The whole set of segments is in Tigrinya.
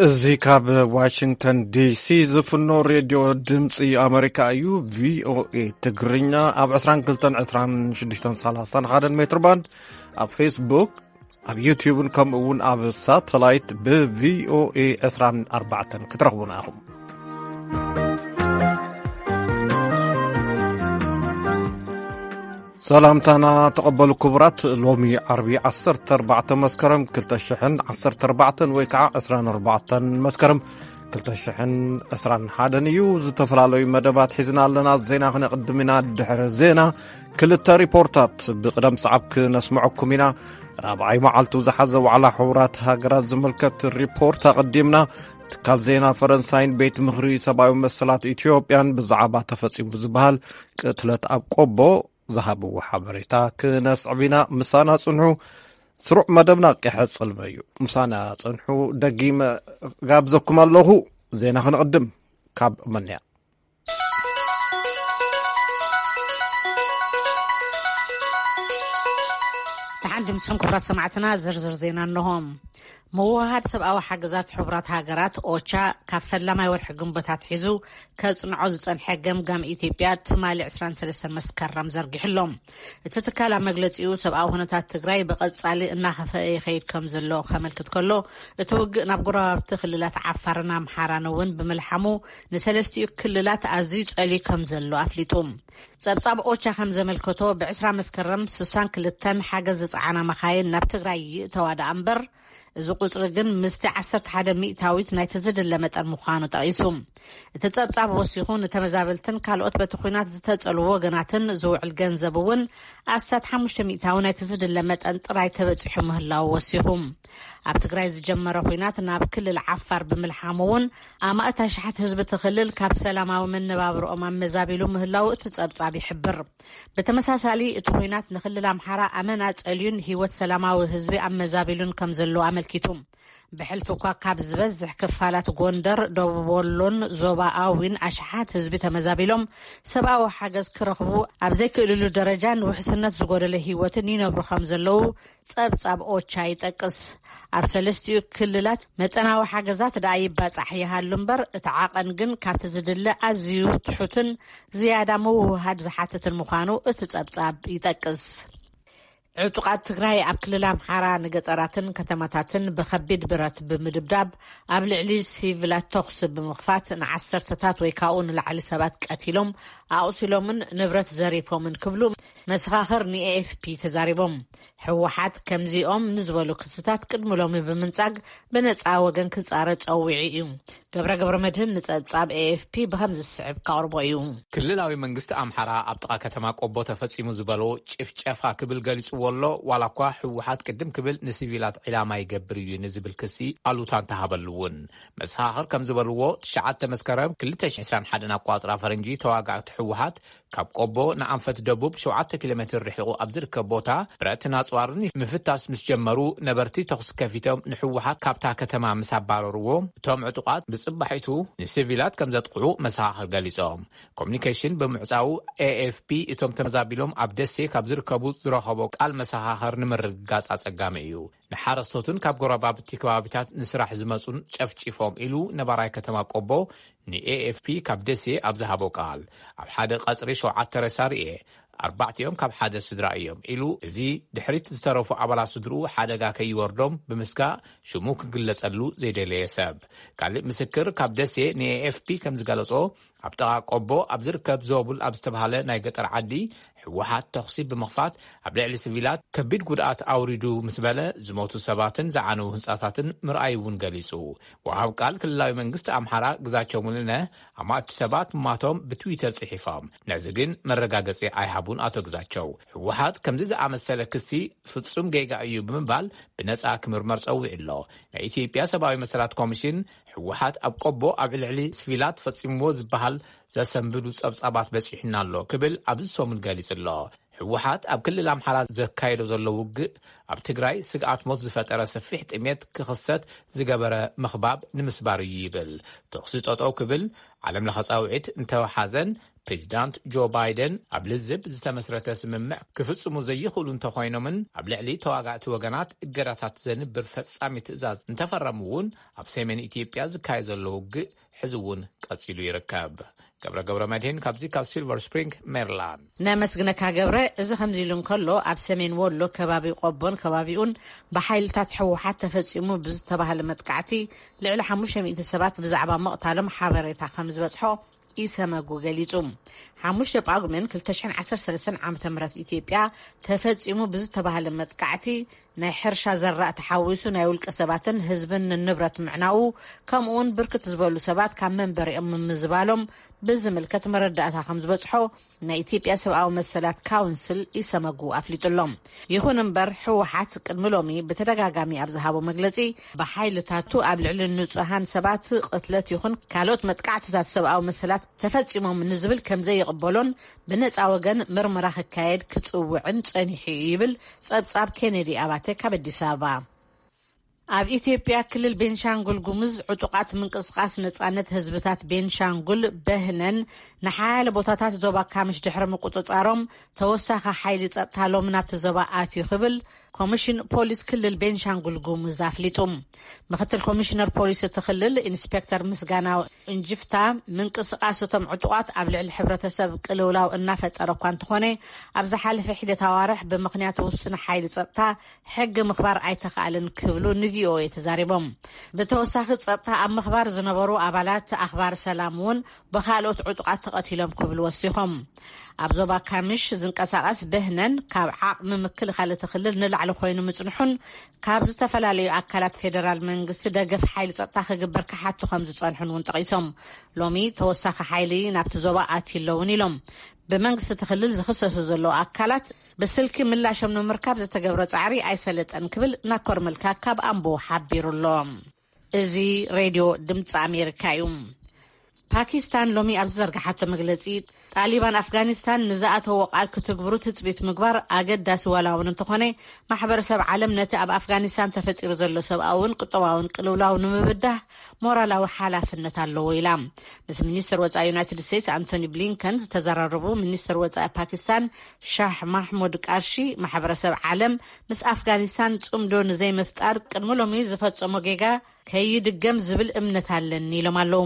እዚ ካብ ዋሽንግተን ዲሲ ዝፍኖ ሬድዮ ድምፂ ኣመሪካ እዩ። ቪኦኤ ትግርኛ ኣብ ዕስራን ክልተን፣ ዕስራን ሽዱሽተን፣ ሰላሳን ሓደን ሜትር ባንድ፣ ኣብ ፌስቡክ፣ ኣብ ዩቲዩብን ከምኡ እውን ኣብ ሳተላይት ብቪኦኤ ዕስራን ኣርባዕተን ክትረኽቡና ኢኹም። ሰላምታና ተቐበሉ ክቡራት። ሎሚ ዓርቢ ዓሰርተ ኣርባዕተ መስከረም ክልተ ሽሕን ዓሰርተ ኣርባዕተን ወይ ከዓ ዕስራን ኣርባዕተን መስከረም ክልተ ሽሕን ዕስራን ሓደን እዩ። ዝተፈላለዩ መደባት ሒዝና ኣለና። ዜና ክነቕድም ኢና። ድሕሪ ዜና ክልተ ሪፖርታት ብቕደም ሰዓብ ክነስምዐኩም ኢና። ራብዓይ መዓልቱ ዝሓዘ ዋዕላ ሕቡራት ሃገራት ዝምልከት ሪፖርት ኣቐዲምና። ትካል ዜና ፈረንሳይን ቤት ምኽሪ ሰብኣዊ መሰላት ኢትዮጵያን ብዛዕባ ተፈጺሙ ዝበሃል ቅትለት ኣብ ቆቦ ዝሃብዎ ሓበሬታ ክነስዕብ ኢና። ምሳና ጽንሑ። ስሩዕ መደብና ክሕጽል እዩ። ምሳና ጽንሑ። ደጊመ ጋብዘኩም ኣለኹ። ዜና ክንቕድም ካብ መንያ። ደሓን ድምፅኹም ክቡራት ሰማዕትና፣ ዝርዝር ዜና እንሆ። ምውህሃድ ሰብኣዊ ሓገዛት ሕቡራት ሃገራት ኦቻ ካብ ፈላማይ ወርሒ ግንቦት ኣትሒዙ ከጽንዖ ዝጸንሐ ገምጋም ኢትዮጵያ ትማሊ ዕስራን ሰለስተን መስከረም ዘርጊሑ ኣሎ። እቲ ትካል ኣብ መግለጺኡ ሰብኣዊ ኩነታት ትግራይ ብቐጻሊ እናኸፍአ ይኸይድ ከም ዘሎ ከመልክት ከሎ፣ እቲ ውግእ ናብ ጎረባብቲ ክልላት ዓፋርን ኣምሓራን እውን ብምልሓሙ ንሰለስቲኡ ክልላት ኣዝዩ ጸልዩ ከም ዘሎ ኣፍሊጡ። ጸብጻብ ኦቻ ከም ዘመልከቶ ብዕስራ መስከረም ስሳን ክልተን ሓገዝ ዝጸዓና መኻይን ናብ ትግራይ ይእተዋ ደኣ እምበር፣ እዚ ቁጽሪ ግን ምስቲ ዓሰርተ ሓደ ሚእታዊት ናይቲ ዝድለ መጠን ምዃኑ ጠቒሱ። እቲ ጸብጻብ ወሲኹ ንተመዛበልትን ካልኦት በቲ ኲናት ዝተጸልዉ ወገናትን ዝውዕል ገንዘብ እውን ኣስታት ሓሙሽተ ሚእታዊ ናይቲ ዝድለ መጠን ጥራይ ተበጺሑ ምህላዉ ወሲኹ። ኣብ ትግራይ ዝጀመረ ኲናት ናብ ክልል ዓፋር ብምልሓሙ እውን ኣማእት ኣሽሓት ህዝቢ እቲ ክልል ካብ ሰላማዊ መነባብርኦም ኣመዛቢሉ ምህላዉ እቲ ጸብጻብ ይሕብር። ብተመሳሳሊ እቲ ኲናት ንክልል ኣምሓራ ኣመና ጸልዩን ህይወት ሰላማዊ ህዝቢ ኣመዛቢሉን ከም ዘሎ ኣመልኪቱ። ብሕልፊ እኳ ካብ ዝበዝሕ ክፋላት ጎንደር፣ ደቡብ ወሎን ዞባ ኣዊን ኣሽሓት ህዝቢ ተመዛቢሎም ሰብኣዊ ሓገዝ ክረኽቡ ኣብ ዘይክእልሉ ደረጃን ውሕስነት ዝጎደለ ህይወትን ይነብሩ ከም ዘለዉ ጸብጻብ ኦቻ ይጠቅስ። ኣብ ሰለስቲኡ ክልላት መጠናዊ ሓገዛት ደኣ ይባጻሕ ይሃሉ እምበር፣ እቲ ዓቐን ግን ካብቲ ዝድለ ኣዝዩ ትሑትን ዝያዳ ምውህሃድ ዝሓትትን ምዃኑ እቲ ጸብጻብ ይጠቅስ። ዕጡቓት ትግራይ ኣብ ክልል ኣምሓራ ንገጠራትን ከተማታትን ብኸቢድ ብረት ብምድብዳብ ኣብ ልዕሊ ሲቪላት ተኹሲ ብምኽፋት ንዓሰርተታት ወይ ካብኡ ንላዕሊ ሰባት ቀቲሎም፣ ኣቑሲሎምን ንብረት ዘሪፎምን ክብሉ መሰኻኽር ንኤኤፍፒ ተዛሪቦም። ህወሓት ከምዚኦም ንዝበሉ ክስታት ቅድሚ ሎሚ ብምንጻግ ብነጻ ወገን ክጻረ ጸዊዑ እዩ። ገብረ ገብረ መድህን ንጸብጻብ ኤኤፍፒ ብኸም ዝስዕብ ከቕርቦ እዩ። ክልላዊ መንግስቲ ኣምሓራ ኣብ ጥቓ ከተማ ቆቦ ተፈጺሙ ዝበሎ ጭፍጨፋ ክብል ገሊጽዎ ኣሎ። ዋላ እኳ ህወሓት ቅድም ክብል ንሲቪላት ዒላማ ይገብር እዩ ንዝብል ክሲ ኣሉታ እንተሃበሉ እውን፣ መሰኻኽር ከም ዝበልዎ ትሽዓተ መስከረም ክልተ ሽሕን ዕስራን ሓደን ኣቋጽራ ፈረንጂ ተዋጋእቲ ህወሓት ካብ ቆቦ ንኣንፈት ደቡብ ሸውዓተ ኪሎ ሜትር ርሒቑ ኣብ ዝርከብ ቦታ ብረትን ኣጽዋርን ምፍታስ ምስ ጀመሩ፣ ነበርቲ ተኹሲ ከፊቶም ንህወሓት ካብታ ከተማ ምስ ኣባረርዎ፣ እቶም ዕጡቓት ብጽባሒቱ ንሲቪላት ከም ዘጥቕዑ መሰኻኽር ገሊጾም። ኮሚኒኬሽን ብምዕጻው ኤኤፍፒ እቶም ተመዛቢሎም ኣብ ደሴ ካብ ዝርከቡ ዝረኸቦ ቃል መሰኻኽር ንምርግጋጽ ኣጸጋሚ እዩ። ንሓረስቶትን ካብ ጎረባብቲ ከባቢታት ንስራሕ ዝመጹን ጨፍጪፎም ኢሉ ነባራይ ከተማ ቆቦ ንኤኤፍፒ ካብ ደሴ ኣብ ዝሃቦ ቃል። ኣብ ሓደ ቀጽሪ ሸውዓተ ሬሳ ርኤ፣ ኣርባዕቲኦም ካብ ሓደ ስድራ እዮም ኢሉ። እዚ ድሕሪት ዝተረፉ ኣባላት ስድርኡ ሓደጋ ከይወርዶም ብምስጋእ ሽሙ ክግለጸሉ ዘይደለየ ሰብ። ካልእ ምስክር ካብ ደሴ ንኤኤፍፒ ከም ዝገለጾ፣ ኣብ ጥቓ ቆቦ ኣብ ዝርከብ ዞቡል ኣብ ዝተባህለ ናይ ገጠር ዓዲ ህወሓት ተኹሲ ብምኽፋት ኣብ ልዕሊ ሲቪላት ከቢድ ጉድኣት ኣውሪዱ ምስ በለ፣ ዝሞቱ ሰባትን ዝዓነዉ ህንጻታትን ምርኣይ እውን ገሊጹ። ወሃብ ቃል ክልላዊ መንግስቲ ኣምሓራ ግዛቸው ሙሉነ፣ ኣማእቲ ሰባት ምማቶም ብትዊተር ጽሒፎም። ነዚ ግን መረጋገጺ ኣይሃቡን ኣቶ ግዛቸው። ህወሓት ከምዚ ዝኣመሰለ ክሲ ፍጹም ጌጋ እዩ ብምባል ብነጻ ክምርመር ጸዊዑ ኣሎ። ናይ ኢትዮጵያ ሰብኣዊ መሰላት ኮሚሽን ህወሓት ኣብ ቆቦ ኣብ ልዕሊ ሲቪላት ፈጺምዎ ዝበሃል ዘሰንብዱ ጸብጻባት በጺሑና ኣሎ ክብል ኣብዚ ሰሙን ገሊጹ ኣሎ። ህወሓት ኣብ ክልል ኣምሓራ ዘካየዶ ዘሎ ውግእ ኣብ ትግራይ ስግኣት ሞት ዝፈጠረ ሰፊሕ ጥሜት ክኽሰት ዝገበረ ምኽባብ ንምስባር እዩ ይብል። ተኹሲ ጠጠው ክብል ዓለም ለኸ ጻውዒት እንተወሓዘን ፕሬዚዳንት ጆ ባይደን ኣብ ልዝብ ዝተመስረተ ስምምዕ ክፍጽሙ ዘይኽእሉ እንተኾይኖምን ኣብ ልዕሊ ተዋጋእቲ ወገናት እገዳታት ዘንብር ፈጻሚ ትእዛዝ እንተፈረሙ እውን ኣብ ሰሜን ኢትዮጵያ ዝካየድ ዘሎ ውግእ ሕዚ እውን ቀጺሉ ይርከብ። ገብረ ገብረ መድህን ካብዚ ካብ ሲልቨር ስፕሪንግ ሜሪላንድ። ነመስግነካ ገብረ። እዚ ከምዚ ኢሉ እንከሎ ኣብ ሰሜን ወሎ ከባቢ ቆቦን ከባቢኡን ብሓይልታት ህወሓት ተፈጺሙ ብዝተባህለ መጥቃዕቲ ልዕሊ ሓሙሽተ ሚእቲ ሰባት ብዛዕባ ምቕታሎም ሓበሬታ ከም ዝበጽሖ ኢሰመጉ ገሊጹ። ሓሙሽተ ጳጉሜን ክልተ ሽሕን ዓሰርተ ሰለስተን ዓመተ ምህረት ኢትዮጵያ ተፈጺሙ ብዝተባህለ መጥቃዕቲ ናይ ሕርሻ ዘራእ ተሓዊሱ ናይ ውልቀ ሰባትን ህዝብን ንንብረት ምዕናዉ፣ ከምኡውን ብርክት ዝበሉ ሰባት ካብ መንበሪኦም ምምዝባሎም ብዝምልከት መረዳእታ ከም ዝበጽሖ ናይ ኢትዮጵያ ሰብኣዊ መሰላት ካውንስል ኢሰመጉ ኣፍሊጡሎም። ይኹን እምበር ህወሓት ቅድሚ ሎሚ ብተደጋጋሚ ኣብ ዝሃቦ መግለጺ ብሓይልታቱ ኣብ ልዕሊ ንጹሃን ሰባት ቅትለት ይኹን ካልኦት መጥቃዕትታት ሰብኣዊ መሰላት ተፈጺሞም ንዝብል ከም ዘይቕበሎን ብነጻ ወገን ምርመራ ክካየድ ክጽውዕን ጸኒሑ እዩ ይብል ጸብጻብ ኬኔዲ ኣባተ ካብ ኣዲስ ኣበባ። ኣብ ኢትዮጵያ ክልል ቤንሻንጉል ጉሙዝ ዕጡቓት ምንቅስቓስ ነጻነት ህዝብታት ቤንሻንጉል በህነን ንሓያለ ቦታታት ዞባ ካምሽ ድሕሪ ምቁጽጻሮም ተወሳኺ ሓይሊ ጸጥታ ሎም ናብቲ ዞባ ኣትዩ ክብል ኮሚሽን ፖሊስ ክልል ቤንሻንጉል ጉሙዝ ኣፍሊጡ። ምክትል ኮሚሽነር ፖሊስ እቲ ክልል ኢንስፔክተር ምስጋና እንጅፍታ ምንቅስቓስ እቶም ዕጡቓት ኣብ ልዕሊ ሕብረተሰብ ቅልውላው እናፈጠረ እኳ እንተኾነ ኣብ ዝሓለፈ ሒደት ኣዋርሕ ብምኽንያት ውሱን ሓይሊ ጸጥታ ሕጊ ምኽባር ኣይተኻእልን ክብሉ ንቪኦኤ ተዛሪቦም። ብተወሳኺ ጸጥታ ኣብ ምኽባር ዝነበሩ ኣባላት ኣኽባር ሰላም እውን ብኻልኦት ዕጡቓት ተቐቲሎም ክብሉ ወሲኾም። ኣብ ዞባ ካምሽ ዝንቀሳቐስ በህነን ካብ ዓቕሚ ምክልኻል እቲ ክልል ንላዕሊ ኮይኑ ምጽንሑን ካብ ዝተፈላለዩ ኣካላት ፌደራል መንግስቲ ደገፍ ሓይሊ ጸጥታ ክግበር ክሓቱ ከም ዝጸንሑን እውን ጠቒሶም። ሎሚ ተወሳኺ ሓይሊ ናብቲ ዞባ ኣትዩ ኣለውን ኢሎም። ብመንግስቲ እቲ ክልል ዝኽሰሱ ዘለዉ ኣካላት ብስልኪ ምላሾም ንምርካብ ዝተገብረ ጻዕሪ ኣይሰለጠን ክብል ናኮር መልካ ካብ ኣምቦ ሓቢሩ ኣሎ። እዚ ሬድዮ ድምፂ ኣሜሪካ እዩ። ፓኪስታን ሎሚ ኣብ ዝዘርግሓቶ መግለፂ ጣሊባን ኣፍጋኒስታን ንዝኣተዎ ቃል ክትግብሩ ትፅቢት ምግባር ኣገዳሲ ዋላ እውን እንተኾነ ማሕበረሰብ ዓለም ነቲ ኣብ ኣፍጋኒስታን ተፈጢሩ ዘሎ ሰብኣውን ቁጠባውን ቅልውላው ንምብዳህ ሞራላዊ ሓላፍነት ኣለዎ ኢላ። ምስ ሚኒስትር ወፃኢ ዩናይትድ ስቴትስ ኣንቶኒ ብሊንከን ዝተዘራረቡ ሚኒስትር ወፃኢ ፓኪስታን ሻህ ማሕሙድ ቃርሺ ማሕበረሰብ ዓለም ምስ ኣፍጋኒስታን ፅምዶ ንዘይምፍጣር ቅድሚ ሎሚ ዝፈፀሞ ጌጋ ከይድገም ዝብል እምነት ኣለኒ ኢሎም ኣለዉ።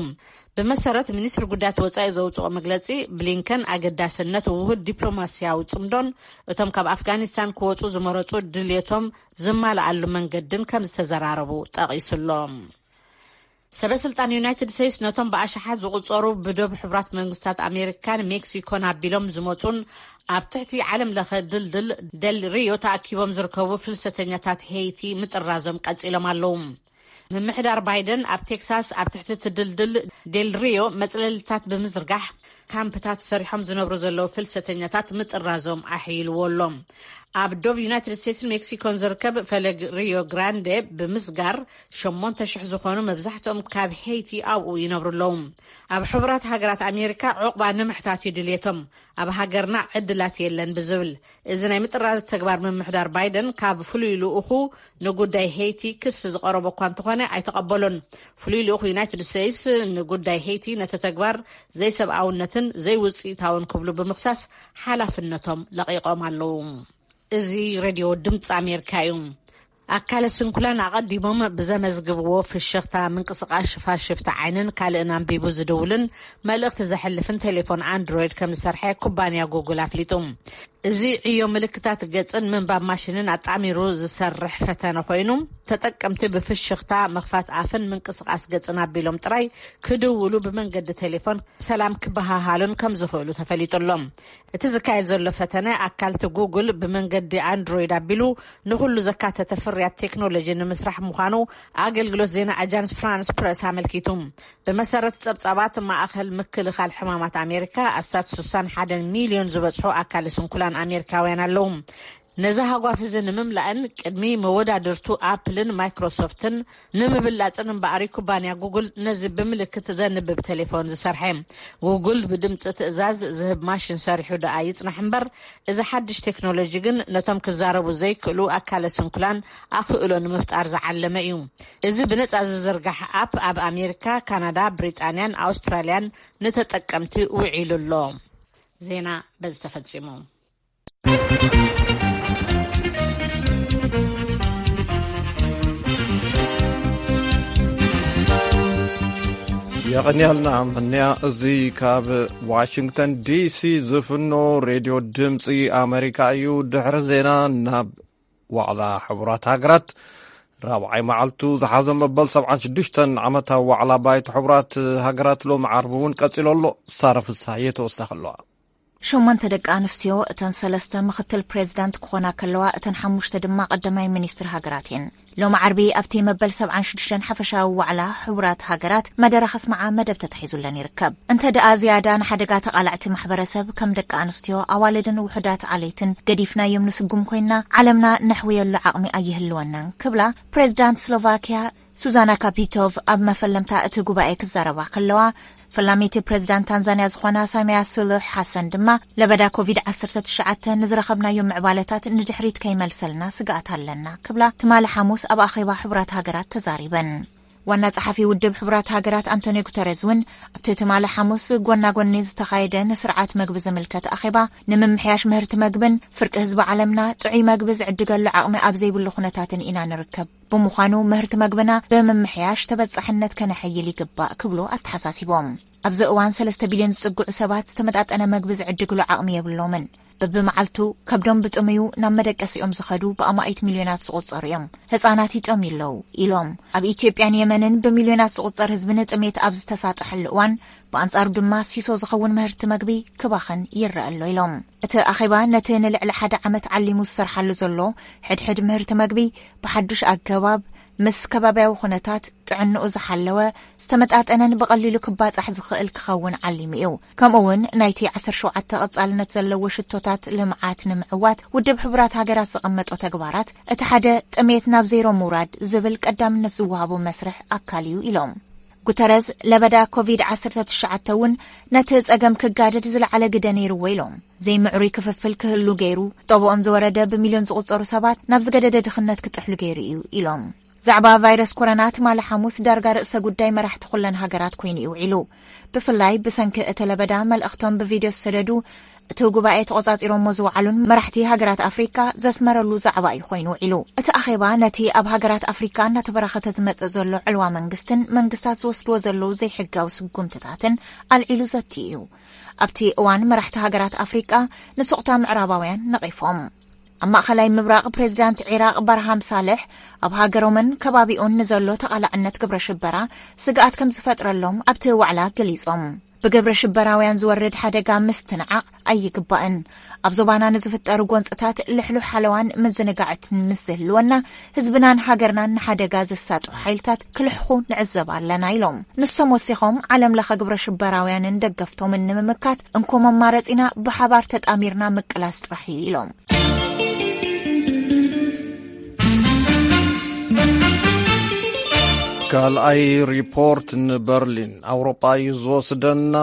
ብመሰረት ሚኒስትሪ ጉዳያት ወፃኢ ዘውፅኦ መግለፂ ብሊንከን ኣገዳስነት ውሁድ ዲፕሎማስያዊ ፅምዶን እቶም ካብ ኣፍጋኒስታን ክወፁ ዝመረፁ ድልየቶም ዝማልኣሉ መንገድን ከም ዝተዘራረቡ ጠቒሱሎም። ሰበ ስልጣን ዩናይትድ ስቴትስ ነቶም ብኣሽሓት ዝቑጸሩ ብዶብ ሕቡራት መንግስታት ኣሜሪካን ሜክሲኮን ኣቢሎም ዝመጹን ኣብ ትሕቲ ዓለም ለኸ ድልድል ደል ሪዮ ተኣኪቦም ዝርከቡ ፍልሰተኛታት ሄይቲ ምጥራዞም ቀጺሎም ኣለዉ። ምምሕዳር ባይደን ኣብ ቴክሳስ ኣብ ትሕቲ እቲ ድልድል ዴል ሪዮ መጽለልታት ብምዝርጋሕ ካምፕታት ሰሪሖም ዝነብሩ ዘለዉ ፍልሰተኛታት ምጥራዞም ኣሕይልዎ ኣሎ። ኣብ ዶብ ዩናይትድ ስቴትስን ሜክሲኮን ዝርከብ ፈለግ ሪዮ ግራንዴ ብምስጋር ሸሞንተ ሽሕ ዝኾኑ መብዛሕትኦም ካብ ሄይቲ ኣብኡ ይነብሩ ኣለዉ። ኣብ ሕቡራት ሃገራት ኣሜሪካ ዑቕባ ንምሕታት እዩ ድልየቶም፣ ኣብ ሃገርና ዕድላት የለን ብዝብል እዚ ናይ ምጥራዝ ተግባር ምምሕዳር ባይደን ካብ ፍሉይ ልኡኹ ንጉዳይ ሄይቲ ክሲ ዝቐረቦ እኳ እንተኾነ ኣይተቐበሎን። ፍሉይ ልኡኹ ዩናይትድ ስቴትስ ንጉዳይ ሄይቲ ነቲ ተግባር ዘይሰብኣውነትን ዘይውፅኢታውን ክብሉ ብምኽሳስ ሓላፍነቶም ለቒቖም ኣለዉ። እዚ ሬድዮ ድምፂ ኣሜሪካ እዩ። ኣካለ ስንኩላን ኣቐዲሞም ብዘመዝግብዎ ፍሽኽታ ምንቅስቓስ ሽፋሽፍቲ ዓይንን ካልእን ኣንቢቡ ዝድውልን መልእኽቲ ዘሕልፍን ቴሌፎን ኣንድሮይድ ከም ዝሰርሐ ኩባንያ ጉግል ኣፍሊጡ። እዚ ዕዮ ምልክታት ገጽን ምንባብ ማሽንን ኣጣሚሩ ዝሰርሕ ፈተነ ኮይኑ ተጠቀምቲ ብፍሽኽታ ምኽፋት ኣፍን ምንቅስቓስ ገጽን ኣቢሎም ጥራይ ክድውሉ ብመንገዲ ቴሌፎን ሰላም ክበሃሃሉን ከም ዝኽእሉ ተፈሊጡ ኣሎ። እቲ ዝካየድ ዘሎ ፈተነ ኣካልቲ ጉግል ብመንገዲ ኣንድሮይድ ኣቢሉ ንኹሉ ዘካተተ ፍርያት ቴክኖሎጂ ንምስራሕ ምዃኑ ኣገልግሎት ዜና ኣጃንስ ፍራንስ ፕረስ ኣመልኪቱ። ብመሰረት ጸብጻባት ማእኸል ምክልኻል ሕማማት ኣሜሪካ ኣስታት ስሳን ሓደን ሚልዮን ዝበጽሑ ኣካለ ስንኩላን ኣሜሪካውያን ኣለዉ። ነዚ ሃጓፍ እዚ ንምምላእን ቅድሚ መወዳድርቱ ኣፕልን ማይክሮሶፍትን ንምብላጽን እምበኣር ኩባንያ ጉግል ነዚ ብምልክት ዘንብብ ቴሌፎን ዝሰርሐ። ጉግል ብድምፂ ትእዛዝ ዝህብ ማሽን ሰሪሑ ደኣ ይጽናሕ እምበር እዚ ሓድሽ ቴክኖሎጂ ግን ነቶም ክዛረቡ ዘይክእሉ ኣካለ ስንኩላን ኣኽእሎ ንምፍጣር ዝዓለመ እዩ። እዚ ብነጻ ዝዝርጋሕ ኣፕ ኣብ ኣሜሪካ፣ ካናዳ፣ ብሪጣንያን ኣውስትራልያን ንተጠቀምቲ ውዒሉ ኣሎ። ዜና በዚ ተፈጺሙ። የቐንያልና ምንያ። እዚ ካብ ዋሽንግተን ዲሲ ዝፍኖ ሬድዮ ድምፂ ኣሜሪካ እዩ። ድሕሪ ዜና ናብ ዋዕላ ሕቡራት ሃገራት ራብዓይ መዓልቱ ዝሓዘ መበል ሰብዓን ሽዱሽተን ዓመታዊ ዋዕላ ባይቶ ሕቡራት ሃገራት ሎም ዓርቢ እውን ቀፂሎ ኣሎ። ሳረ ፍስሃየ ተወሳኺ ኣለዋ። ሸሞንተ ደቂ ኣንስትዮ፣ እተን ሰለስተ ምኽትል ፕሬዚዳንት ክኾና ከለዋ፣ እተን ሓሙሽተ ድማ ቀዳማይ ሚኒስትር ሃገራት እየን። ሎም ዓርቢ ኣብቲ መበል ሰብዓን ሽዱሽተን ሓፈሻዊ ዋዕላ ሕቡራት ሃገራት መደረ ከስምዓ መደብ ተታሒዙለን ይርከብ። እንተ ደኣ ዝያዳ ንሓደጋ ተቓላዕቲ ማሕበረሰብ ከም ደቂ ኣንስትዮ፣ ኣዋልድን ውሑዳት ዓሌትን ገዲፍናዮም ንስጉም ኮይና፣ ዓለምና ነሕውየሉ ዓቕሚ ኣይህልወናን ክብላ ፕሬዚዳንት ስሎቫኪያ ሱዛና ካፒቶቭ ኣብ መፈለምታ እቲ ጉባኤ ክዛረባ ከለዋ፣ ፈላሚቲ ፕሬዚዳንት ታንዛንያ ዝኾና ሳሚያ ሱሉሕ ሓሰን ድማ ለበዳ ኮቪድ ዓሰርተ ትሽዓተ ንዝረኸብናዮ ምዕባለታት ንድሕሪት ከይመልሰልና ስግኣት ኣለና ክብላ ትማሊ ሓሙስ ኣብ ኣኼባ ሕቡራት ሃገራት ተዛሪበን። ዋና ጸሓፊ ውድብ ሕቡራት ሃገራት ኣንቶኒዮ ጉተረዝ እውን ኣብቲ ትማሊ ሓሙስ ጎና ጎኒ ዝተኻየደ ንስርዓት መግቢ ዝምልከት ኣኼባ ንምምሕያሽ ምህርቲ መግብን ፍርቂ ህዝቢ ዓለምና ጥዑይ መግቢ ዝዕድገሉ ዓቕሚ ኣብ ዘይብሉ ኩነታትን ኢና ንርከብ። ብምዃኑ ምህርቲ መግብና ብምምሕያሽ ተበጻሕነት ከነሐይል ይግባእ ክብሉ ኣተሓሳሲቦም። ኣብዚ እዋን ሰለስተ ቢልዮን ዝጽግዑ ሰባት ዝተመጣጠነ መግቢ ዝዕድግሉ ዓቕሚ የብሎምን። በብመዓልቱ ከብዶም ብጥምዩ ናብ መደቀሲኦም ዝኸዱ ብኣማኢት ሚልዮናት ዝቑጸሩ እዮም። ህጻናት ይጠምዩ ኣለዉ ኢሎም። ኣብ ኢትዮጵያን የመንን ብሚልዮናት ዝቑጸር ህዝቢ ንጥሜት ኣብ ዝተሳጠሐሉ እዋን፣ ብኣንጻሩ ድማ ሲሶ ዝኸውን ምህርቲ መግቢ ክባኽን ይረአ ኣሎ ኢሎም። እቲ ኣኼባ ነቲ ንልዕሊ ሓደ ዓመት ዓሊሙ ዝሰርሓሉ ዘሎ ሕድሕድ ምህርቲ መግቢ ብሓዱሽ ኣገባብ ምስ ከባብያዊ ኩነታት ጥዕንኡ ዝሓለወ ዝተመጣጠነን ብቐሊሉ ክባጻሕ ዝኽእል ክኸውን ዓሊሙ እዩ። ከምኡ እውን ናይቲ ዓሰርተ ሸውዓተ ቀጻልነት ዘለዎ ሽቶታት ልምዓት ንምዕዋት ውድብ ሕቡራት ሃገራት ዘቐመጦ ተግባራት እቲ ሓደ ጥሜት ናብ ዜሮ ምውራድ ዝብል ቀዳምነት ዝወሃቦ መስርሕ ኣካል እዩ ኢሎም። ጉተረዝ ለበዳ ኮቪድ ዓሰርተ ትሽዓተ እውን ነቲ ጸገም ክጋደድ ዝለዓለ ግደ ነይርዎ ኢሎም። ዘይምዕሩይ ክፍፍል ክህሉ ገይሩ፣ ጠብኦም ዝወረደ ብሚልዮን ዝቑጸሩ ሰባት ናብ ዝገደደ ድኽነት ክጥሕሉ ገይሩ እዩ ኢሎም። ዛዕባ ቫይረስ ኮሮና ትማሊ ሓሙስ ዳርጋ ርእሰ ጉዳይ መራሕቲ ኩለን ሃገራት ኮይኑ እዩ ውዒሉ። ብፍላይ ብሰንኪ እቲ ለበዳ መልእኽቶም ብቪድዮ ዝሰደዱ፣ እቲ ጉባኤ ተቖጻጺሮሞ ዝወዓሉን መራሕቲ ሃገራት ኣፍሪካ ዘስመረሉ ዛዕባ እዩ ኮይኑ ውዒሉ። እቲ ኣኼባ ነቲ ኣብ ሃገራት ኣፍሪካ እናተበራኸተ ዝመጽእ ዘሎ ዕልዋ መንግስትን መንግስታት ዝወስድዎ ዘለዉ ዘይሕጋዊ ስጉምትታትን ኣልዒሉ ዘትዩ እዩ። ኣብቲ እዋን መራሕቲ ሃገራት ኣፍሪቃ ንሱቕታ ምዕራባውያን ነቒፎም። ኣብ ማእኸላይ ምብራቕ ፕሬዚዳንት ዒራቕ ባርሃም ሳልሕ ኣብ ሃገሮምን ከባቢኡን ንዘሎ ተቓላዕነት ግብረ ሽበራ ስግኣት ከም ዝፈጥረሎም ኣብቲ ዋዕላ ገሊጾም። ብግብረ ሽበራውያን ዝወርድ ሓደጋ ምስትንዓቕ ኣይግባእን። ኣብ ዞባና ንዝፍጠሩ ጎንፅታት ልሕሉሕ ሓለዋን ምዝንጋዕትን ምስ ዝህልወና፣ ህዝብናን ሃገርናን ንሓደጋ ዘሳጥሑ ሓይልታት ክልሕኹ ንዕዘብ ኣለና ኢሎም። ንሶም ወሲኾም፣ ዓለም ለኸ ግብረ ሽበራውያንን ደገፍቶምን ንምምካት እንኮ መማረፂና ብሓባር ተጣሚርና ምቅላስ ጥራሕ እዩ ኢሎም። ካልኣይ ሪፖርት ንበርሊን ኣውሮጳ እዩ ዝወስደና።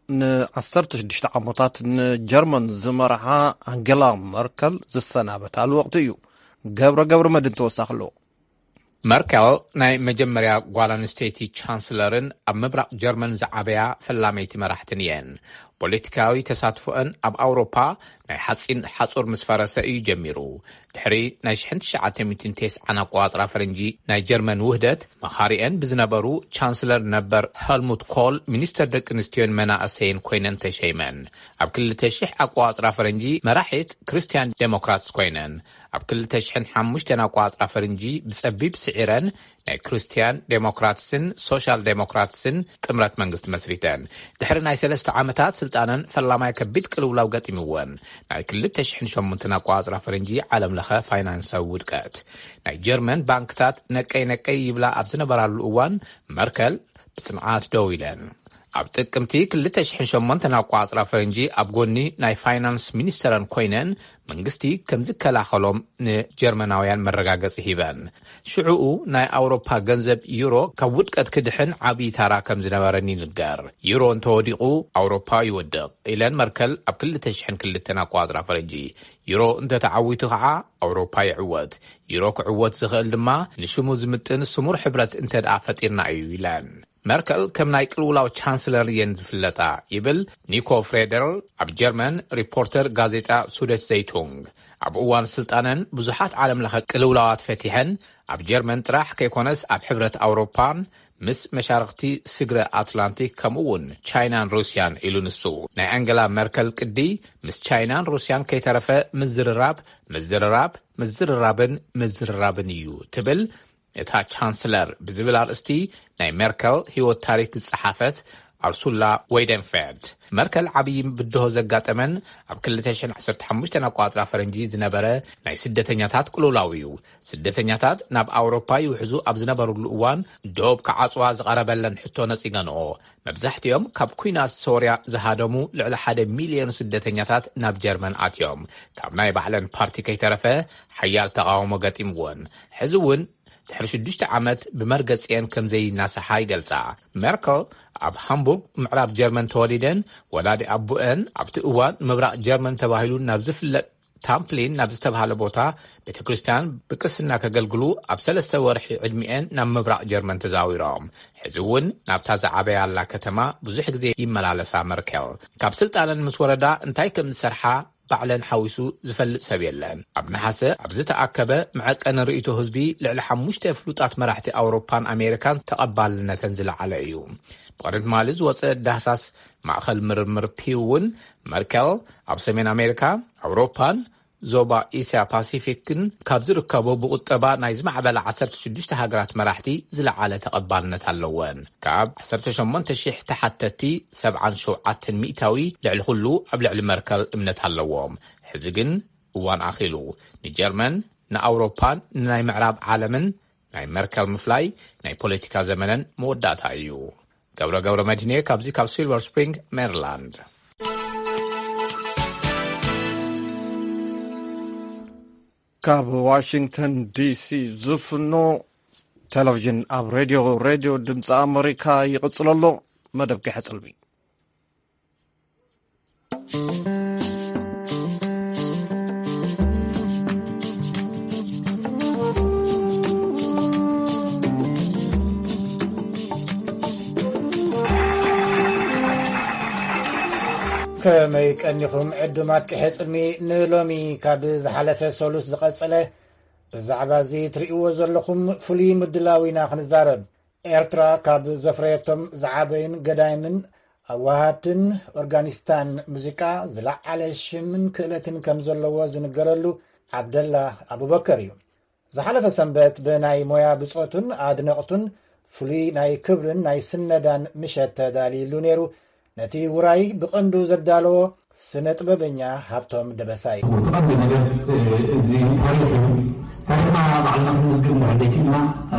ንዓሰርተ ሽዱሽተ ዓመታት ንጀርመን ዝመርሓ ኣንጌላ መርከል ዝሰናበታሉ ወቕቲ እዩ። ገብረ ገብረ መድን ተወሳኺ ኣለዎ። መርከል ናይ መጀመርያ ጓል ኣንስተይቲ ቻንስለርን ኣብ ምብራቕ ጀርመን ዝዓበያ ፈላመይቲ መራሕትን እየን። ፖለቲካዊ ተሳትፎአን ኣብ ኣውሮፓ ናይ ሓጺን ሓጹር ምስ ፈረሰ እዩ ጀሚሩ። ድሕሪ ናይ ሽሕን ትሽዓተ ሚእትን ተስዓን ኣቆጻጽራ ፈረንጂ ናይ ጀርመን ውህደት፣ መኻሪአን ብዝነበሩ ቻንስለር ነበር ሄልሙት ኮል ሚኒስተር ደቂ ኣንስትዮን መናእሰይን ኮይነን ተሸይመን። ኣብ ክልተ ሽሕ ኣቆጻጽራ ፈረንጂ መራሒት ክርስትያን ዴሞክራትስ ኮይነን። ኣብ ክልተ ሽሕን ሓሙሽተን ኣቆጻጽራ ፈረንጂ ብጸቢብ ስዒረን ናይ ክርስትያን ዴሞክራትስን ሶሻል ዴሞክራትስን ጥምረት መንግስቲ መስሪተን። ድሕሪ ናይ ሰለስተ ዓመታት ስልጣነን ፈላማይ ከቢድ ቅልውላው ገጢምወን። ናይ ክልተ ሽሕን ሸሞንተን ኣቆጻጽራ ፈረንጂ ዓለም ለኸ ፋይናንሳዊ ውድቀት። ናይ ጀርመን ባንክታት ነቀይ ነቀይ ይብላ ኣብ ዝነበራሉ እዋን መርከል ብጽንዓት ደው ኢለን። ኣብ ጥቅምቲ ክልተ ሽሕን ሸሞንተን ኣቆጻጽራ ፈረንጂ ኣብ ጎኒ ናይ ፋይናንስ ሚኒስተረን ኮይነን መንግስቲ ከም ዝከላኸሎም ንጀርመናውያን መረጋገጺ ሂበን። ሽዑኡ ናይ ኣውሮፓ ገንዘብ ዩሮ ካብ ውድቀት ክድሕን ዓብዪ ታራ ከም ዝነበረን ይንገር። ዩሮ እንተወዲቑ ኣውሮፓ ይወድቕ ኢለን መርከል ኣብ ክልተ ሽሕን ክልተን ኣቆጻጽራ ፈረንጂ። ዩሮ እንተተዓዊቱ ከዓ ኣውሮፓ ይዕወት። ዩሮ ክዕወት ዝኽእል ድማ ንሽሙ ዝምጥን ስሙር ሕብረት እንተ ደኣ ፈጢርና እዩ ኢለን። መርከል ከም ናይ ቅልውላው ቻንስለር እየን ዝፍለጣ፣ ይብል ኒኮ ፍሬደር ኣብ ጀርመን ሪፖርተር ጋዜጣ ሱደት ዘይቱንግ። ኣብ እዋን ስልጣነን ብዙሓት ዓለም ለኸ ቅልውላዋት ፈቲሐን፣ ኣብ ጀርመን ጥራሕ ከይኮነስ ኣብ ሕብረት ኣውሮፓን ምስ መሻርኽቲ ስግረ ኣትላንቲክ ከምኡ እውን ቻይናን ሩስያን ኢሉ ንሱ። ናይ ኣንገላ መርከል ቅዲ ምስ ቻይናን ሩስያን ከይተረፈ ምዝርራብ፣ ምዝርራብ፣ ምዝርራብን ምዝርራብን እዩ ትብል እታ ቻንስለር ብዝብል ኣርእስቲ ናይ ሜርከል ህይወት ታሪክ ዝጸሓፈት ኣርሱላ ወይደንፌርድ። መርከል ዓብዪ ብድሆ ዘጋጠመን ኣብ ክልተ ሽሕን ዓሰርተ ሓሙሽተን ኣቋጽራ ፈረንጂ ዝነበረ ናይ ስደተኛታት ቅልውላው እዩ። ስደተኛታት ናብ ኣውሮፓ ይውሕዙ ኣብ ዝነበሩሉ እዋን ዶብ ክዓጽዋ ዝቐረበለን ሕቶ ነጺገንኦ። መብዛሕትኦም ካብ ኲናት ሶርያ ዝሃደሙ ልዕሊ ሓደ ሚልዮን ስደተኛታት ናብ ጀርመን ኣትዮም። ካብ ናይ ባዕለን ፓርቲ ከይተረፈ ሓያል ተቓውሞ ገጢምወን። ሕዚ እውን ድሕሪ ሽዱሽተ ዓመት ብመርገጺኤን ከም ዘይናስሓ ይገልጻ። ሜርከል ኣብ ሃምቡርግ ምዕራብ ጀርመን ተወሊደን፣ ወላዲ ኣቦአን ኣብቲ እዋን ምብራቕ ጀርመን ተባሂሉ ናብ ዝፍለጥ ታምፕሊን ናብ ዝተባህለ ቦታ ቤተ ክርስቲያን ብቅስና ከገልግሉ ኣብ ሰለስተ ወርሒ ዕድሚኤን ናብ ምብራቕ ጀርመን ተዛዊሮም። ሕዚ እውን ናብታ ዝዓበያላ ከተማ ብዙሕ ግዜ ይመላለሳ። መርከል ካብ ስልጣነን ምስ ወረዳ እንታይ ከም ዝሰርሓ ባዕለን ሓዊሱ ዝፈልጥ ሰብ የለን። ኣብ ነሓሰ ኣብ ዝተኣከበ መዐቀኒ ርእይቶ ህዝቢ ልዕሊ ሓሙሽተ ፍሉጣት መራሕቲ ኣውሮፓን ኣሜሪካን ተቐባልነተን ዝለዓለ እዩ። ብቕድሚ ትማሊ ዝወፀ ዳህሳስ ማእኸል ምርምር ፒው እውን መርከል ኣብ ሰሜን ኣሜሪካ፣ ኣውሮፓን ዞባ እስያ ፓሲፊክን ካብ ዝርከቡ ብቁጠባ ናይ ዝማዕበላ ዓሰርተ ሽዱሽተ ሃገራት መራሕቲ ዝለዓለ ተቐባልነት ኣለወን። ካብ ዓሰርተ ሸሞንተ ሽሕ ተሓተቲ ሰብዓን ሸውዓተን ሚእታዊ ልዕሊ ኩሉ ኣብ ልዕሊ መርከል እምነት ኣለዎም። ሕዚ ግን እዋን ኣኺሉ። ንጀርመን፣ ንኣውሮፓን ንናይ ምዕራብ ዓለምን ናይ መርከል ምፍላይ ናይ ፖለቲካ ዘመነን መወዳእታ እዩ። ገብረ ገብረ መድህኔ ካብዚ ካብ ሲልቨር ስፕሪንግ ሜሪላንድ። ካብ ዋሽንግተን ዲሲ ዝፍኖ ቴሌቪዥን ኣብ ሬድዮ፣ ሬድዮ ድምፂ ኣመሪካ ይቕፅል ኣሎ። መደብ ግሐ ፅልሚ። ከመይ ቀኒኹም ዕዱማት ቅሐ ጽልሚ? ንሎሚ ካብ ዝሓለፈ ሰሉስ ዝቐጸለ ብዛዕባ እዚ ትርእይዎ ዘለኹም ፍሉይ ምድላው ኢና ክንዛረብ። ኤርትራ ካብ ዘፍረየቶም ዝዓበዩን ገዳይምን ኣዋሃድትን ኦርጋኒስታን ሙዚቃ ዝለዓለ ሽምን ክእለትን ከም ዘለዎ ዝንገረሉ ዓብደላ ኣቡበከር እዩ። ዝሓለፈ ሰንበት ብናይ ሞያ ብጾቱን ኣድነቕቱን ፍሉይ ናይ ክብርን ናይ ስነዳን ምሸት ተዳልዩሉ ነይሩ። ነቲ ውራይ ብቐንዱ ዘዳለዎ ስነ ጥበበኛ ሃብቶም ደበሳይ። እቲ ቀንዲ ነገር እዚ ታሪኽ እዩ። ታሪኽና ባዕልና ክንምዝግብ እንድሕር ዘይክእልና፣ እ፣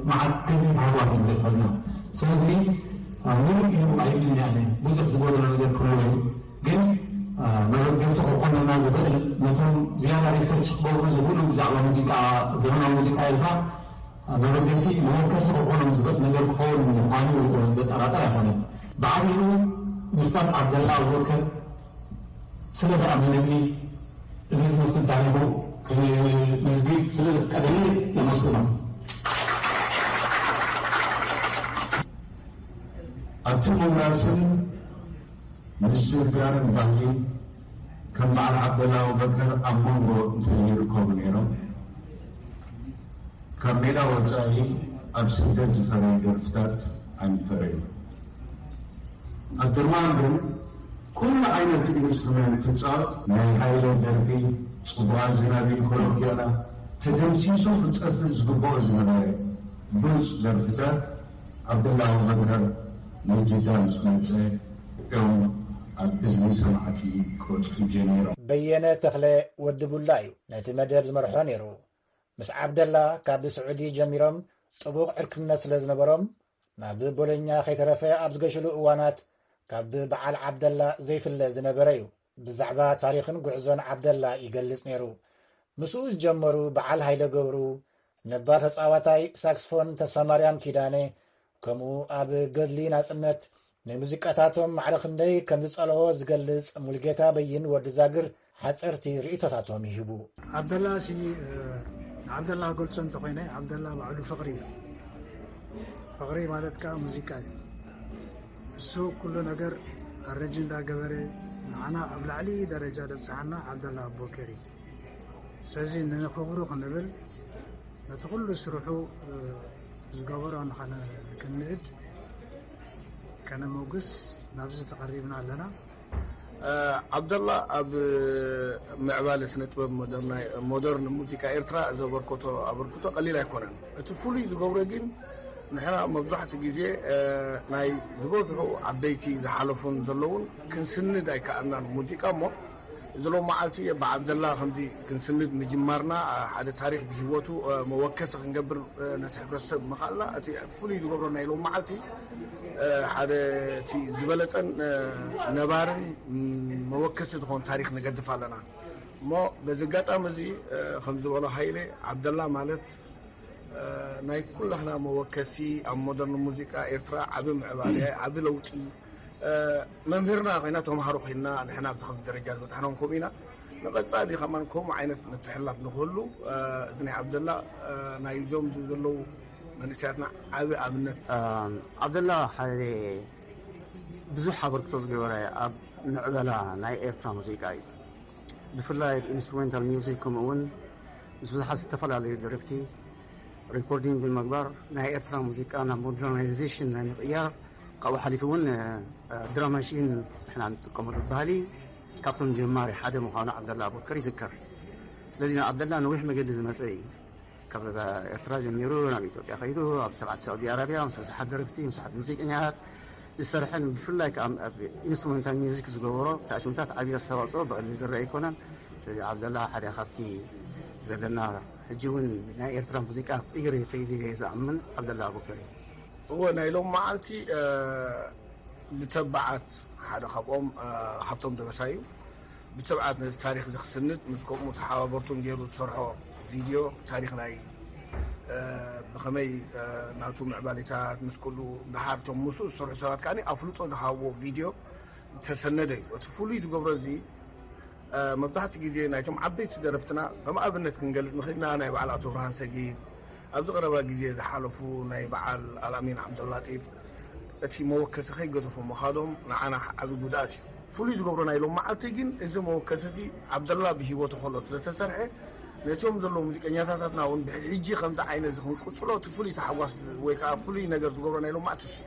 መዓት ገዚፍ ሃዋት እዩ ዝገጥመና። ስለዚ፣ እ፣ ምሉእ እዩ ኣይብልን እየ ኣነ። ብዙሕ ዝጎደሎ ነገር ክህሉ እዩ። ግን፣ እ፣ መበገሲ ክኾነና ዝኽእል ነቶም ዝያዳ ሪሰርች ክገብሩ ዝኽእሉ ብዛዕባ ሙዚቃ፣ ዘመናዊ ሙዚቃ ኤርትራ፣ እ፣ መበገሲ፣ መበገሲ ክኾኖም ዝኽእል ነገር ክኸውን ምዃኑ ዘጠራጥር ኣይኮነን። ብዓቢኡ ኡስታዝ ዓብደላ ኣቡበከር ስለ ዝኣመነኒ፣ እዚ ዝመስል ታሪኹ ክምዝግብ ስለ ዘፍቀደኒ የመስግኖ። ኣብቲ ምውራስን ምስግጋርን ባህሊ ከም በዓል ዓብደላ ኣቡበከር ኣብ መንጎ እንተይርከቡ ነይሮም፣ ካብ ሜዳ ወጻኢ ኣብ ስደት ዝፈረዩ ደርፍታት ኣይምፈረዩን። ኣብ ድርማን ግን ኩሉ ዓይነት ኢንስትሩመንት ትጻወት፣ ናይ ሃይለ ደርፊ፣ ጽቡቓ ዝናቢ፣ ኮሎምቢያና፣ ተደምሲሱ ክጸፍእ ዝግብኦ ዝነበረ ብሉጽ ደርፍታት፣ ዓብደላ ኣቡበከር ንጅዳ ምስ መጸ እዮም ኣብ እዝኒ ሰማዕቲ ክበጽሑ ጀሚሮም። በየነ ተኽለ ወዲ ቡላ እዩ ነቲ መደብ ዝመርሖ ነይሩ። ምስ ዓብደላ ካብ ስዑዲ ጀሚሮም ጥቡቕ ዕርክነት ስለ ዝነበሮም፣ ናብ ቦሎኛ ከይተረፈ ኣብ ዝገሸሉ እዋናት ካብ በዓል ዓብደላ ዘይፍለ ዝነበረ እዩ። ብዛዕባ ታሪኽን ጉዕዞን ዓብደላ ይገልጽ ነይሩ። ምስኡ ዝጀመሩ በዓል ሃይለ ገብሩ፣ ነባር ተጻዋታይ ሳክስፎን ተስፋማርያም ኪዳነ፣ ከምኡ ኣብ ገድሊ ናጽነት ንሙዚቃታቶም ማዕረ ክንደይ ከም ዝጸልኦ ዝገልጽ ሙልጌታ በይን ወዲ ዛግር ሓጸርቲ ርእይቶታቶም ይህቡ። ዓብደላ ሲ፣ እ፣ ዓብደላ ክገልጾ እንተኾይነ፣ ዓብደላ ባዕሉ ፍቕሪ እዩ። ፍቕሪ ማለት ከዓ ሙዚቃ እዩ። እሱ ኩሉ ነገር ኣረንጅ እንዳገበረ ንዓና ኣብ ላዕሊ ደረጃ ደብፅሓና ዓብደላ ኣቦከር እዩ። ስለዚ ንኽብሩ ክንብል ነቲ ኩሉ ስርሑ ዝገበሮ ንኸነ ክንእድ ከነመጉስ ናብዚ ተቐሪብና ኣለና። ዓብደላ ኣብ ምዕባለ ስነ ጥበብ ሞደርና- ሞደርን ሙዚቃ ኤርትራ ዘበርከቶ ኣበርክቶ ቀሊል ኣይኮነን። እቲ ፍሉይ ዝገብሮ ግን ንሕና መብዛሕትኡ ግዜ ናይ ዝበዝሑ ዓበይቲ ዝሓለፉን ዘለውን ክንስንድ ኣይከኣልናን ሙዚቃ እሞ እዚ ሎም መዓልቲ ብዓብደላ ከምዚ ክንስንድ ምጅማርና ሓደ ታሪክ ብሂወቱ መወከሲ ክንገብር ነቲ ሕብረተሰብ ምኽኣልና እቲ ፍሉይ ዝገብሮ ናይ ሎም መዓልቲ ሓደ እቲ ዝበለፀን ነባርን መወከሲ ዝኾን ታሪክ ንገድፍ ኣለና እሞ በዚ ኣጋጣሚ እዚ ከም ዝበሎ ሃይለ ዓብደላ ማለት ናይ ኩላህና መወከሲ ኣብ ሞደርን ሙዚቃ ኤርትራ ዓቢ ምዕባለ ዓቢ ለውጢ መምህርና ኮይና ተምሃሮ ኮይና ንሕና ኣብዚ ከም ደረጃ ዝበፅሕናን ከምኡ ኢና ንቐፃሊ ከማን ከምኡ ዓይነት ምትሕልላፍ ንክህሉ እዚ ናይ ዓብደላ ናይ እዞም ዘለዉ መንእሰያትና ዓቢ ኣብነት። ዓብደላ ሓደ ብዙሕ ኣበርክቶ ዝገበረ ኣብ ምዕበላ ናይ ኤርትራ ሙዚቃ እዩ። ብፍላይ ኢንስትሩሜንታል ሚውዚክ ከምኡ እውን ምስ ብዙሓት ዝተፈላለዩ ደረፍቲ ሪኮርዲንግ ብምግባር ናይ ኤርትራ ሙዚቃ ናብ ሞደርናይዜሽን ናይ ምቕያር ካብኡ ሓሊፉ እውን ድራም ማሽን ንሕና ንጥቀመሉ ባህሊ ካብቶም ጀማሪ ሓደ ምዃኑ ዓብደላ ኣቡበከር ይዝከር። ስለዚ ንዓብደላ ነዊሕ መገዲ ዝመፀ እዩ። ካብ ኤርትራ ጀሚሩ ናብ ኢትዮጵያ ከይዱ ኣብ ሰብዓት ሳዑዲ ኣረቢያ ምስ ብዙሓት ደረፍቲ ምስ ብዙሓት ሙዚቀኛታት ዝሰርሐን ብፍላይ ከዓ ኣብ ኢንስትሩሜንታል ሚውዚክ ዝገበሮ ተኣሽምታት ዓብዪ ኣስተዋፅኦ ብቐሊል ዝረአ ኣይኮነን። ስለዚ ዓብደላ ሓደ ካብቲ ዘለና ሕጂ እውን ናይ ኤርትራ ሙዚቃ ክቕይር ይኽእል ኢለ ዝኣምን ዓብደላ ኣቡበከር እዩ። እወ ናይ ሎም መዓልቲ ብተባዓት ሓደ ካብኦም ሃብቶም ደበሳ እዩ። ብትብዓት ነዚ ታሪኽ እዚ ክስንድ ምስ ከምኡ ተሓባበርቱን ገይሩ ዝሰርሖ ቪድዮ ታሪኽ ናይ ብኸመይ ናቱ ምዕባሌታት ምስ ኩሉ ደሓር እቶም ምስኡ ዝሰርሑ ሰባት ከኣ ኣፍልጦ ዝሃብዎ ቪድዮ ዝተሰነደ እዩ። እቲ ፍሉይ ዝገብሮ እዚ መብዛሕትኡ ግዜ ናይቶም ዓበይቲ ደረፍትና ከም ኣብነት ክንገልፅ ንኽእልና ናይ በዓል ኣቶ ብርሃን ሰጊድ ኣብዚ ቀረባ ግዜ ዝሓለፉ ናይ በዓል ኣልኣሚን ዓብደላጢፍ እቲ መወከሲ ከይገደፎ ምኻዶም ንዓና ዓቢ ጉድኣት እዩ። ፍሉይ ዝገብሮ ናይ ሎም መዓልቲ ግን እዚ መወከሲ እዚ ዓብደላ ብሂወቱ ከሎ ስለተሰርሐ ነቲኦም ዘለዉ ሙዚቀኛታታትና እውን ብሕጂ ከምዚ ዓይነት እዚ ክንቅፅሎ እቲ ፍሉይ ተሓጓስ ወይ ከዓ ፍሉይ ነገር ዝገብሮ ናይ ሎም መዓልቲ እሱ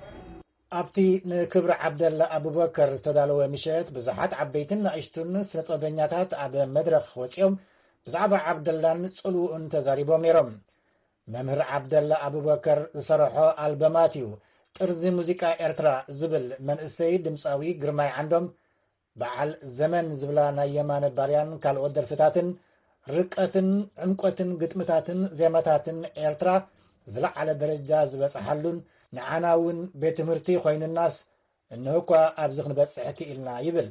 ኣብቲ ንክብሪ ዓብደላ ኣቡበከር ዝተዳለወ ምሸት ብዙሓት ዓበይትን ንእሽቱን ስነጥበበኛታት ኣብ መድረኽ ወፂኦም ብዛዕባ ዓብደላን ፅልውኡን ተዛሪቦም ነይሮም። መምህር ዓብደላ ኣቡበከር ዝሰርሖ ኣልበማት እዩ ጥርዚ ሙዚቃ ኤርትራ ዝብል መንእሰይ ድምፃዊ ግርማይ ዓንዶም በዓል ዘመን ዝብላ ናይ የማነ ባርያን ካልኦት ደርፍታትን ርቀትን ዕምቆትን ግጥምታትን ዜማታትን ኤርትራ ዝለዓለ ደረጃ ዝበፅሓሉን ንዓና እውን ቤት ትምህርቲ ኮይኑናስ እንሆ እኳ ኣብዚ ክንበፅሕ ክኢልና ይብል።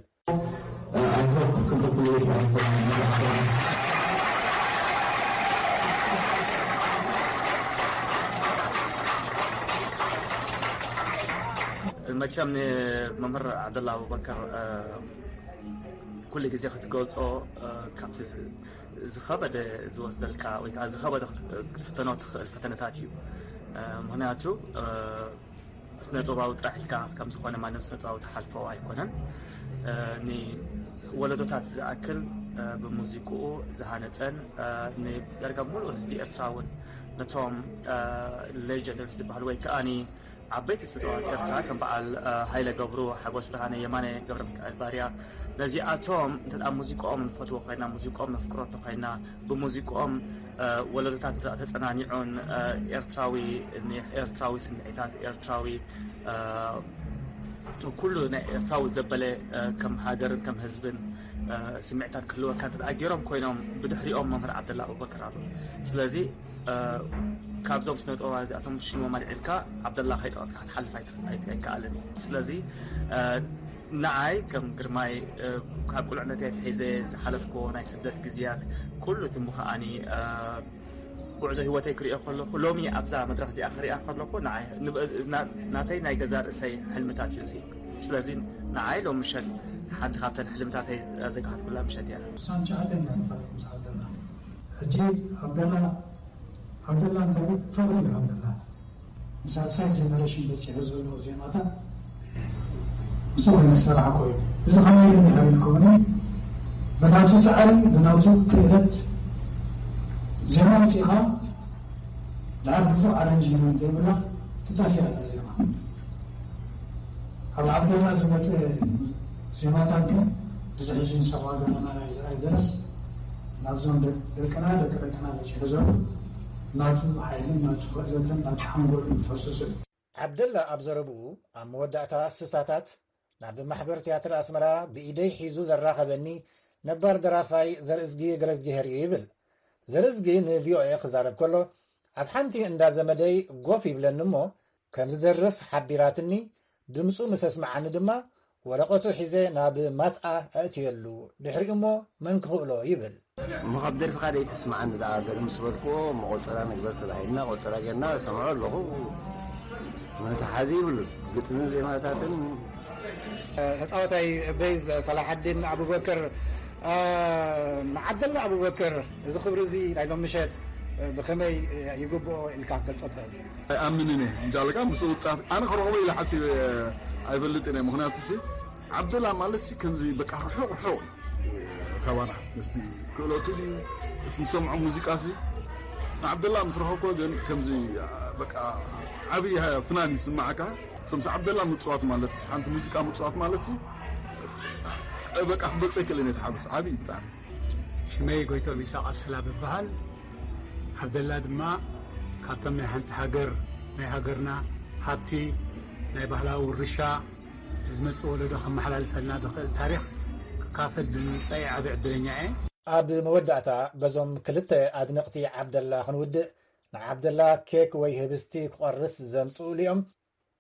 መቸም ንመምህር ዓብደላ ኣቡበከር ኩሉ ግዜ ክትገልፆ ካብቲ ዝኸበደ ዝወስደልካ ወይ ከዓ ዝኸበደ ክትፍተኖ ትኽእል ፈተነታት እዩ። ምክንያቱ ስነ ጥበባዊ ጥራሕ ኢልካ ከም ዝኾነ ማንም ስነ ጥበባዊ ትሓልፎ ኣይኮነን። ንወለዶታት ዝኣክል ብሙዚቅኡ ዝሃነፀን ንዳርጋ ሙሉእ ህዝቢ ኤርትራ እውን ነቶም ሌጀንደሪስ ዝበሃሉ ወይ ከዓኒ ዓበይቲ ስነ ጥበባት ኤርትራ ከም በዓል ሃይለ ገብሩ፣ ሓጎስ ብርሃነ፣ የማነ ገብረሚካኤል ባርያ ነዚኣቶም እንተ ሙዚቅኦም ንፈትዎ ኮይና ሙዚቅኦም ነፍቅሮ እንተኮይና ብሙዚቅኦም ወለዶታት ተፀናኒዑን ኤርትራዊ ኤርትራዊ ስምዒታት ኤርትራዊ ኩሉ ናይ ኤርትራዊ ዘበለ ከም ሃገርን ከም ህዝብን ስምዒታት ክህልወካ እንተ ገይሮም ኮይኖም ብድሕሪኦም መምህር ዓብደላ ኣቡበከር ኣሎ። ስለዚ ካብዞም ስነ ጥበባ እዚኣቶም ሽሞም ኣልዒልካ ዓብደላ ከይጠቐስካ ክትሓልፍ ኣይከኣልን እዩ። ስለዚ ንዓይ ከም ግርማይ ካብ ቁልዕነተይ ኣትሒዘ ዝሓለፍክዎ ናይ ስደት ግዜያት ኩሉ እቲ ምኸኣኒ ጉዕዞ ህይወተይ ክሪኦ ከለኹ ሎሚ ኣብዛ መድረኽ እዚኣ ክሪኣ ከለኹ ንዓይ ናተይ ናይ ገዛ ርእሰይ ሕልምታት እዩ እዚ። ስለዚ ንዓይ ሎም ምሸት ሓንቲ ካብተን ሕልምታተይ ዘጋሃትኩላ ምሸት እያ። ሳንቻ ኣደና ንፈልጥ ምስ ዓብደላ ሕጂ ዓብደላ ዓብደላ እንታይ ፍቕሪ እዩ ዓብደላ ሳልሳይ ጀነሬሽን በፂሑ ዘሎ ዜማታት ምስኡ ይመሰራሕ ኮይኑ፣ እዚ ከመይ ኢሉ እንድሕር ኢልኩምኒ፣ ብናቱ ፃዕሪ፣ ብናቱ ክእለት ዜማ ኣምፂእኻ፣ ድሓር ብፉዕ ኣረንጅመንት ዘይብላ ትጠፍእ ኣላ ዜማ። ኣብ ዓብደላ ዝመፀ ዜማታት ግን፣ እዚ ሕጂ ንሰምዖ ዘለና ናይ ዘርኣይ ደረስ፣ ናብዞም ደቅ-፣ ደቅና፣ ደቂ ደቅና በፂሑ ዘሎ፣ ናቱ ሓይልን ናቱ ክእለትን ናቱ ሓንጎልን ፈሱሱ እዩ። ዓብደላ ኣብ ዘረብኡ፣ ኣብ መወዳእታ ስሳታት ናብ ማሕበር ትያትር ኣስመራ ብኢደይ ሒዙ ዘራኸበኒ ነባር ደራፋይ ዘርእዝጊ ገረዝጊሄር እዩ ይብል። ዘርእዝጊ ንቪኦኤ ክዛረብ ከሎ፣ ኣብ ሓንቲ እንዳ ዘመደይ ጎፍ ይብለኒ እሞ፣ ከም ዝደርፍ ሓቢራትኒ፣ ድምፁ ምስ ኣስምዓኒ ድማ፣ ወረቐቱ ሒዘ ናብ ማትኣ ኣእትየሉ፣ ድሕሪኡ እሞ መን ክኽእሎ ይብል። እሞ ካብ ደርፍኻ ደይ ተስምዓኒ ደኣ፣ ገለ ምስ በልክዎ፣ እሞ ቆጸራ ንግበር ተባሂልና፣ ቆጸራ ጌርና እሰምዖ ኣለኹ። መታሓዚ ይብሉ፣ ግጥምን ዜማታትን። ተጻዋታይ ቤዝ ሰላሓዲን ኣቡበከር፣ እ፣ ንዓብደላ ኣቡበከር፣ እዚ ክብሪ እዚ ናይ ሎም ምሸት፣ እ፣ ብኸመይ ይግብኦ ኢልካ ክትገልጾ ትኽእል? ኣይኣምንን እየ። እንጃ ኣለካ ምስ ውጻት ኣነ ክረኽቦ ኢለ ሓሲበ ኣይፈልጥን እየ። ምኽንያቱ ሲ ዓብደላ ማለት ሲ ከምዚ በቃ ርሑቕ ርሑቕ እዩ ካባና። ምስቲ ክእለቱ ድዩ እቲ ንሰምዖ ሙዚቃ ሲ ንዓብደላ ምስ ረኸብኮ ግን ከምዚ በቃ ዓብዪ ፍናን ይስማዓካ። ከምዚ ዓብደላ ምጽዋት ማለት ሓንቲ ሙዚቃ ምጽዋት ማለት ሲ በቃ ክገልጸ ኣይክእልን እየ። ተሓጎስ ዓብዪ ብጣዕሚ። ሽመይ ጎይቶም ኢሳቕ ኣብሰላ በበሃል። ዓብደላ ድማ ካብቶም ናይ ሓንቲ ሃገር፣ ናይ ሃገርና ሃብቲ፣ ናይ ባህላዊ ውርሻ፣ ዝመጽእ ወለዶ ከመሓላልፈልና ዝኽእል ታሪኽ ክካፈል ብምምጸይ ዓቢ ዕድለኛ እየ። ኣብ መወዳእታ በዞም ክልተ ኣድነቕቲ ዓብደላ ክንውድእ፣ ንዓብደላ ኬክ ወይ ህብስቲ ክቖርስ ዘምጽኡሉ እዮም።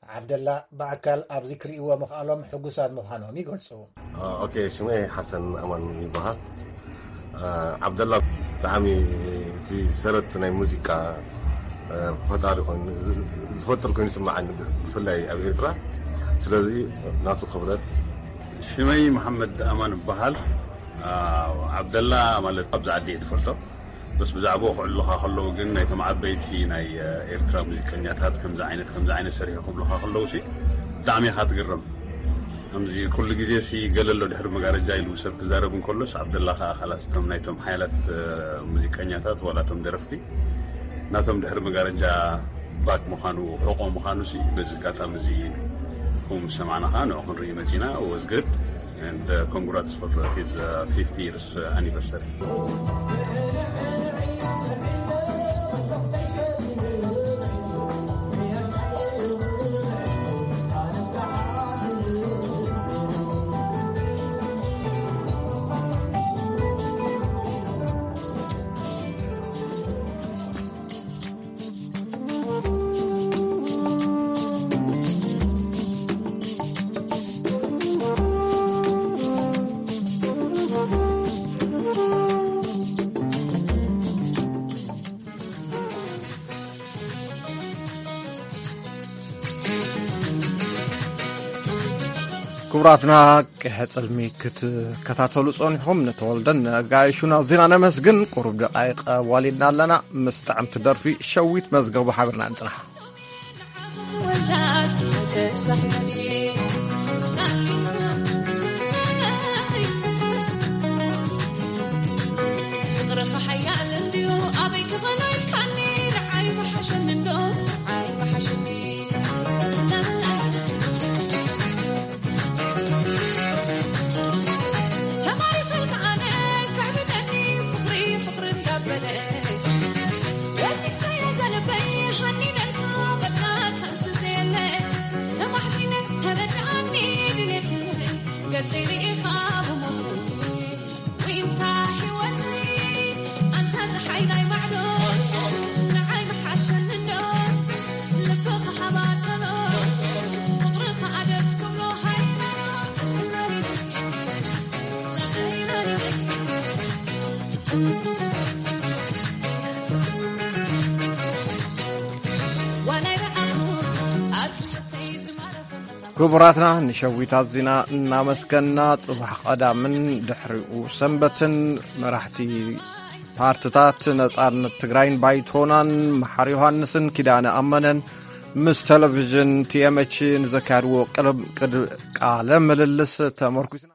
ዓብደላ ብኣካል ኣብዚ ክርእይዎ ምኽኣሎም ሕጉሳት ምዃኖም ይገልጹ። ኦኬ፣ ሽመይ ሓሰን ኣማን ይበሃል። ዓብደላ ብጣዕሚ እቲ ሰረት ናይ ሙዚቃ ፈጣሪ ኮይኑ ዝፈጥር ኮይኑ ይስምዓኒ፣ ብፍላይ ኣብ ኤርትራ። ስለዚ ናቱ ክብረት። ሽመይ መሓመድ ኣማን እበሃል። ዓብደላ ማለት ኣብዚ ዓዲ እየ ዝፈልጦ። በስ ብዛዕባኡ ክዕልሉኻ ከለዉ ግን ናይቶም ዓበይቲ ናይ ኤርትራ ሙዚቀኛታት ከምዚ ዓይነት ከምዚ ዓይነት ሰሪሑ ክብሉኻ ከለዉ ሲ ብጣዕሚ ኢኻ ትግረም። ከምዚ ኩሉ ግዜ ሲ ገለ ኣሎ ድሕሪ መጋረጃ ኢሉ ሰብ ክዛረብ እንከሎስ ዓብደላ ከኣ ካላስ እቶም ናይቶም ሓያላት ሙዚቀኛታት ዋላ እቶም ደረፍቲ ናቶም ድሕሪ መጋረጃ ባክ ምዃኑ ሕቆ ምዃኑ ሲ በዚ ኣጋጣሚ እዚ ኩም ሰማዕና ከኣ ንዑ ክንርኢ መጺና። Was good. And uh, congrats for his uh, fifty years uh, anniversary. ክቡራትና፣ ቅሐ ጽልሚ ክትከታተሉ ጸኒሕኩም ንተወልደን ነጋይሹና ዜና ነመስግን። ቁሩብ ደቃይቕ ኣዋሊድና ኣለና። ምስ ጥዕምቲ ደርፊ ሸዊት መዝገቡ ሓቢርና ንጽናሕ። ፍቅርኻ ሓያል እንድዩ ኣበይ ክኾኖ ኢልካኒ ንዓይ ምሓሸኒ እንዶ ንዓይ ምሓሸኒ። ተማሪኸልካ ኣነ ከዕብደኒ ፍቕሪ ፍቕሪ እንዳበለ ወሲድካዮ ዘለበይ ሃኒነልካ በቃ ከምዚ ዘየለ ተማሕጺነ ተረድኣኒ ድሌተይ ገጸይ ርኢኻ ብሞተይ ዊንታ ህይወተይ ኣንታ ፀሓይ ናይ ማዕዶ ንዓይ ምሓሸኒ እንዶ ልብኻ ሃባ ተሎ ፍቕርኻ ኣደስ ክብሎ ሃይላላ ክቡራትና ንሸዊት ኣዚና እናመስገና፣ ጽባሕ ቀዳምን ድሕሪኡ ሰንበትን መራሕቲ ፓርትታት ነጻነት ትግራይን ባይቶናን መሓር ዮሃንስን ኪዳነ ኣመነን ምስ ቴሌቪዥን ቲ ኤም ኤች ንዘካየድዎ ቅልብ-፣ ቅድ-፣ ቃለ ምልልስ ተመርኩስና።